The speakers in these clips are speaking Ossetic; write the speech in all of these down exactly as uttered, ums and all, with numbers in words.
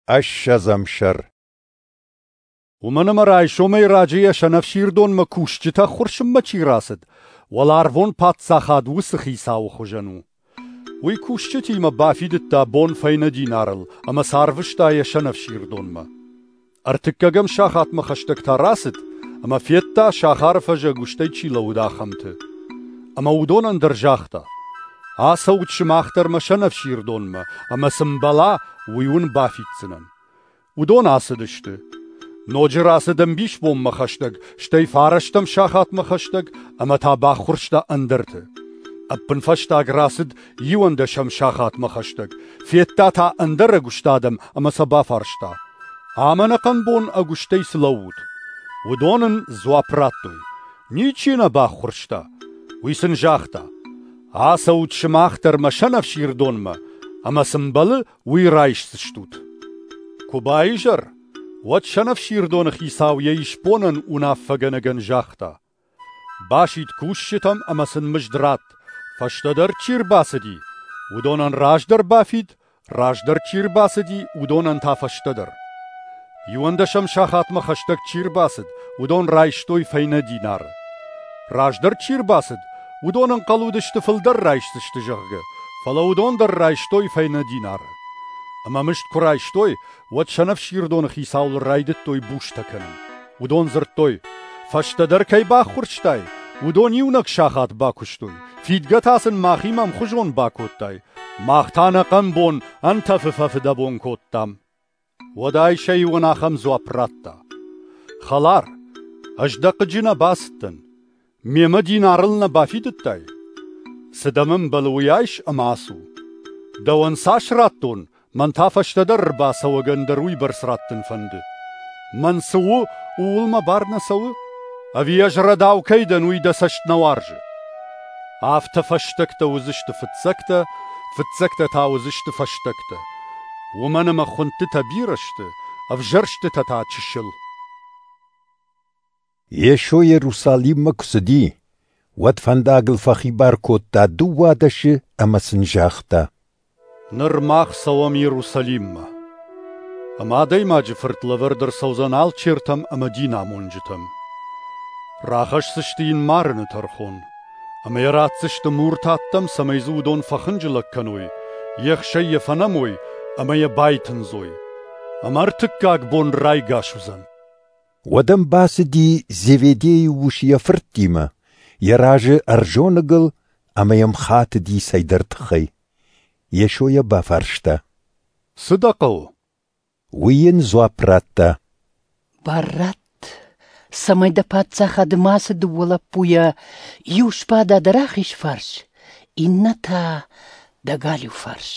Ӕссӕдзӕм сӕр. Уымӕн ӕмӕ райсомӕй раджы йӕ сӕнӕфсирдонмӕ кусджытӕ ӕххуырсынмӕ чи рацыд, уӕларвон паддзахад уыцы хицауы хуызӕн у. Уый кусджытимӕ бафидыдта бон фӕйнӕ динарыл ӕмӕ сӕ арвыста йӕ сӕнӕфсирдонмӕ. Ӕртыккӕгӕм сахатмӕ хӕстӕг та рацыд ӕмӕ федта, сахары фӕзы ӕгуыстӕй чи лӕууыд, ахӕмты. Ӕмӕ уыдонӕн дӕр загъта: «Ацӕут сымах дӕр мӕ сӕнӕфсирдонмӕ, ӕмӕ цы мбӕла, уый уын бафиддзынӕн». Уыдон ацыдысты. Ноджы рацыд ӕмбисбонмӕ хӕстӕг, стӕй фарӕстӕм сахатмӕ хӕстӕг ӕмӕ та баххуырста ӕндӕрты. Ӕппынфӕстаг рацыд иуӕндӕсӕм сахатмӕ хӕстӕг, федта та ӕндӕр ӕгуыст адӕм ӕмӕ сӕ бафарста: «Ам ӕнӕхъӕн бон ӕгуыстӕй цы лӕуут?» Уыдон ын дзуапп радтой: «Ничи нӕ баххуырста». Уый сын загъта: «Ацӕут сымах дӕр мӕ сӕнӕфсирдонмӕ, ӕмӕ цы мбӕлы, уый райсдзыстут». Куы баизӕр, уӕд сӕнӕфсирдоны хицау йӕ исбонӕн уынаффӕгӕнӕгӕн загъта: «Басид кусджытӕм ӕмӕ сын мызд ратт, фӕстӕдӕр чи рбацыди, уыдонӕн раздӕр бафид, раздӕр чи рбацыди, уыдонӕн та фӕстӕдӕр». Иуӕндӕсӕм сахатмӕ хӕстӕг чи рбацыд, уыдон райстой фӕйнӕ динары. Раздӕр чи рбацыд, уыдон ӕнхъӕл уыдысты фылдӕр райсдзысты, зӕгъгӕ, фӕлӕ уыдон дӕр райстой фӕйнӕ динары. Ӕмӕ мызд куы райстой, уӕд сӕнӕфсирдоны хицауыл райдыдтой бустӕ кӕнын. Уыдон дзырдтой: «Фӕстӕдӕр кӕй баххуырстай, уыдон иунӕг сахат бакуыстой, фидгӕ та сын махимӕ ӕмхуызон бакодтай, мах та ӕнӕхъӕн бон ӕнтӕфы фӕфыдӕбон кодтам». Уӕд ӕй сӕ иуӕн ахӕм дзуапп радта: «Хӕлар, ӕз дӕ хъыджы нӕ бацыдтӕн, мемӕ динарыл нӕ бафидыдтай? Цы дӕм ӕмбӕлы, уый айс ӕмӕ ацу. Дӕуӕн цас радтон, мӕн та фӕстӕдӕр ӕрбацӕуӕгӕн дӕр уыйбӕрц раттын фӕнды. Мӕн цы у, ууыл мӕ бар нӕ цӕуы? Ӕви ӕз рӕдау кӕй дӕн, уый дӕ цӕст нӕ уарзы?» Афтӕ фӕстӕгтӕ уыдзысты фыццӕгтӕ, фыццӕгтӕ та уыдзысты фӕстӕгтӕ. Уымӕн ӕмӕ хуындтытӕ бирӕ сты, ӕвзӕрстытӕ та чысыл. Йесо Иерусалиммӕ куы цыди, уӕд фӕндагыл фӕхибар кодта дыууадӕсы ӕмӕ сын загъта: Ныр мах цӕуӕм Иерусалиммӕ. Ӕмӕ Адӕймаджы Фырт лӕвӕрд ӕрцӕудзӕн алчертӕм ӕмӕ динамонджытӕм. Рахӕсдзысты йын марыны тӕрхон, ӕмӕ йӕ ратдзысты муртаттӕм, цӕмӕй дзы уыдон фӕхынджылӕг кӕной, ехсӕй йӕ фӕнӕмой ӕмӕ йӕ байтындзой. Ӕмӕ ӕртыккаг бон райгас уыдзӕн. Уӕд ӕм бацыди Зеведейы ус йӕ фырттимӕ, йӕ разы ӕрзоныгыл ӕмӕ йӕм хатыди цӕйдӕр тыххӕй. Йесо йӕ бафарста: «Цы дӕ хъӕуы?» Уый йын дзуапп радта: «Бар ратт, цӕмӕй дӕ паддзахады ма ацы дыууӕ лӕппуйӕ иу сбада дӕ рахиз фарс, иннӕ та дӕ галиу фарс».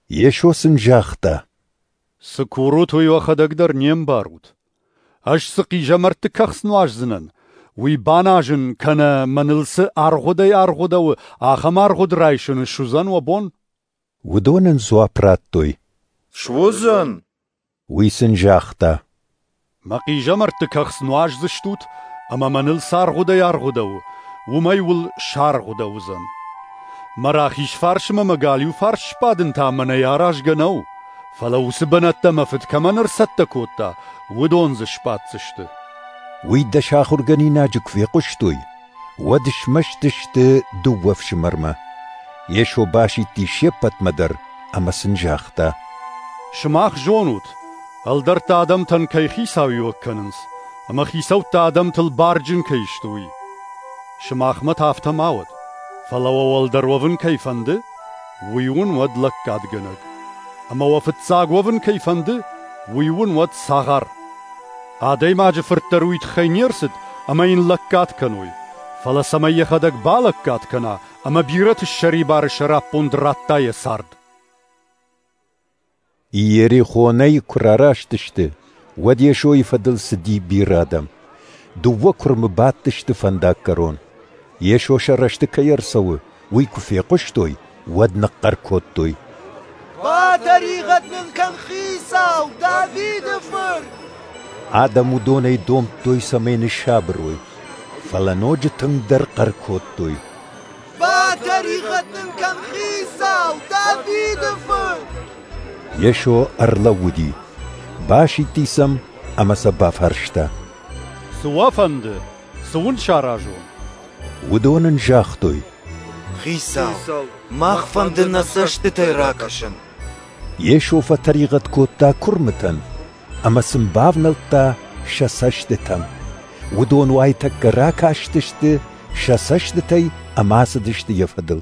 Йесо сын загъта: «Цы курут, уый уӕхӕдӕг дӕр не мбарут. Ӕз цы хъизӕмӕртты кӕхц нуаздзынӕн, уый баназын кӕнӕ мӕныл цы аргъуыдӕй аргъуыдӕуы, ахӕм аргъуыд райсын суыдзӕн уӕ бон?» Уыдон ын дзуапп радтой: «Суыдзӕн!» Уый сын загъта: «Мӕ хъизӕмӕртты кӕхц нуаздзыстут, ӕмӕ мӕныл цы аргъуыдӕй аргъуыдӕуы, уымӕй уыл саргъуыдӕуыдзӕн. Мӕ рахиз фарсмӕ мӕ галиу фарс сбадын та мӕнӕй аразгӕ нӕу, фӕлӕ уыцы бынӕттӕ мӕ Фыд кӕмӕн ӕрцӕттӕ кодта, уыдон дзы сбаддзысты». Уый дӕс ахуыргӕнинаджы куы фехъуыстой, уӕд смӕсты сты дыууӕ фсымӕрмӕ. Йесо басидти се ппӕтмӕ дӕр ӕмӕ сын загъта: «Сымах зонут, ӕлдӕрттӕ адӕмтӕн кӕй хицауиуӕг кӕнынц, ӕмӕ хицӕуттӕ адӕмтыл барджын кӕй сты, уый. Сымахмӕ та афтӕ ма уӕд, фӕлӕ уӕ уӕлдӕр уӕвын кӕй фӕнды, уый уын уӕд лӕггадгӕнӕг. Ӕмӕ уӕ фыццаг уӕвын кӕй фӕнды, уый уын уӕд цагъар. Адӕймаджы Фырт дӕр уый тыххӕй не рцыд, ӕмӕ йын лӕггад кӕной, фӕлӕ цӕмӕй йӕхӕдӕг балӕггад кӕна ӕмӕ бирӕты ссӕрибары сӕраппонд радта йӕ цард». Иерихонӕй куы рараст сты, уӕд Йесойы фӕдыл цыди бирӕ адӕм. Дыууӕ куырмы бадтысты фӕндаггӕрон. Йесо сӕ рӕзты кӕй ӕрцӕуы, уый куы фехъуыстой, уӕд ныхъхъӕр кодтой: «Батӕригъӕд нын кӕн, Хицау, Давиды Фырт!» Адӕм уыдонӕй домдтой, цӕмӕй ныссабыр уой, фӕлӕ ноджы тынгдӕр хъӕр кодтой: «Батӕригъӕд нын кӕн, Хицау, Давиды Фырт!» Йесо ӕрлӕууыди, басидти сӕм ӕмӕ сӕ бафарста: Цы уӕ фӕнды, цы уын саразон? Уыдон ын загътой: Хицау, мах фӕнды нӕ цӕстытӕй ракӕсын. Йесо фӕтӕригъӕд кодта куырмытӕн ӕмӕ сын бавнӕлдта сӕ цӕстытӕм. Уыдон уайтӕккӕ ракастысты сӕ цӕстытӕй ӕмӕ ацыдысты йӕ фӕдыл.